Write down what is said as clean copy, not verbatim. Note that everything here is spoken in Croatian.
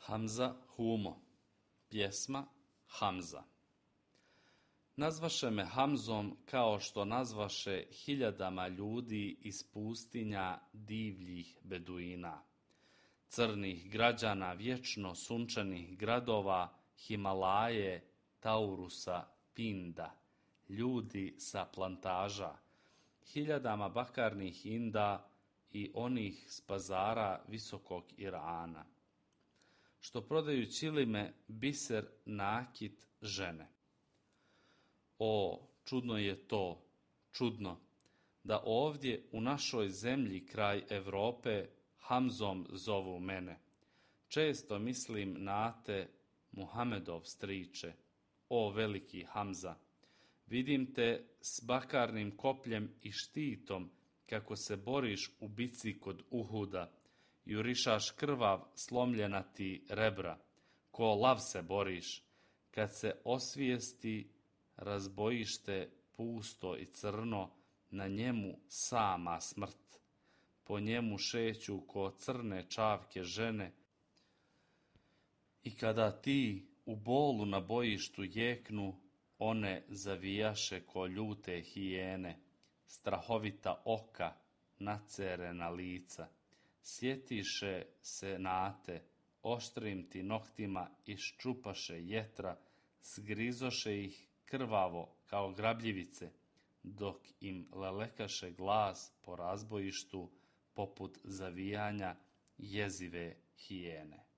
Hamza Humo. Pjesma Hamza. Nazvaše me Hamzom kao što nazvaše hiljadama ljudi iz pustinja divljih beduina, crnih građana vječno sunčanih gradova, Himalaje, Taurusa, Pinda, ljudi sa plantaža, hiljadama bakarnih Inda i onih s pazara visokog Irana, što prodaju ćilime, biser, nakit, žene. O, čudno je to, čudno, da ovdje u našoj zemlji kraj Europe Hamzom zovu mene. Često mislim na te, Muhamedov striče, o veliki Hamza. Vidim te s bakarnim kopljem i štitom, kako se boriš u bici kod Uhuda, jurišaš krvav slomljena ti rebra, ko lav se boriš, kad se osvijesti razbojište pusto i crno, na njemu sama smrt. Po njemu šeću ko crne čavke žene, i kada ti u bolu na bojištu jeknu, one zavijaše ko ljute hijene, strahovita oka, nacerena lica. Sjetiše se nate, oštrim ti noktima iščupaše jetra, zgrizoše ih krvavo kao grabljivice, dok im lelekaše glas po razbojištu poput zavijanja jezive hijene.